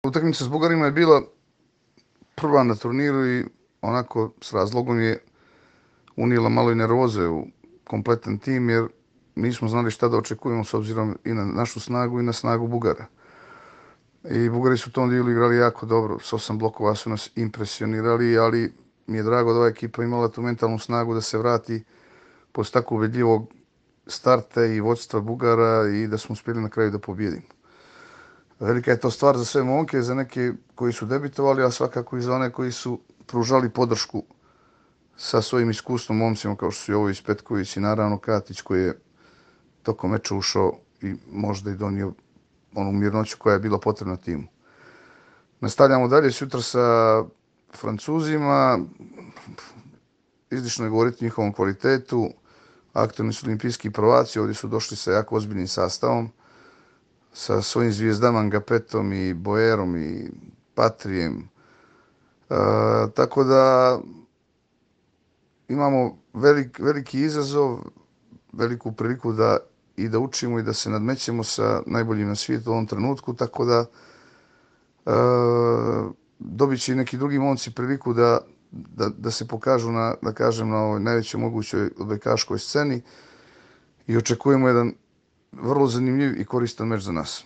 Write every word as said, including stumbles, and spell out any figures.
Utakmica s Bugarima je bila prva na turniru i onako s razlogom je unijela malo i nervoze u kompletan tim jer nismo znali šta da očekujemo s obzirom i na našu snagu i na snagu Bugara. I Bugari su u tom dijelu igrali jako dobro, s osam blokova su nas impresionirali, ali mi je drago da ova ekipa imala tu mentalnu snagu da se vrati posle tako ubedljivog starta i vodstva Bugara i da smo uspjeli na kraju da pobjedimo. Velika je to stvar za sve momke, za neke koji su debitovali, a svakako i za one koji su pružali podršku sa svojim iskustvom momcima kao što su Jovović, Petković i naravno Katić koji je tokom meča ušao i možda i donio onu mirnoću koja je bila potrebna timu. Nastavljamo dalje sutra sa Francuzima. Izlišno je govoriti o njihovom kvalitetu. Aktualni su olimpijski prvaci, ovdje su došli sa jako ozbiljnim sastavom, sa svojim zvijezdama Ngapetom i Boerom i Patrijem. E, tako da imamo velik, veliki izazov, veliku priliku da i da učimo i da se nadmećemo sa najboljim na svijetu u ovom trenutku, tako da e, dobit će i neki drugi momci priliku da, da, da se pokažu na, da kažem, na ovoj najvećoj mogućoj odbojkaškoj sceni i očekujemo jedan vrlo zanimljiv i koristan meč za nas.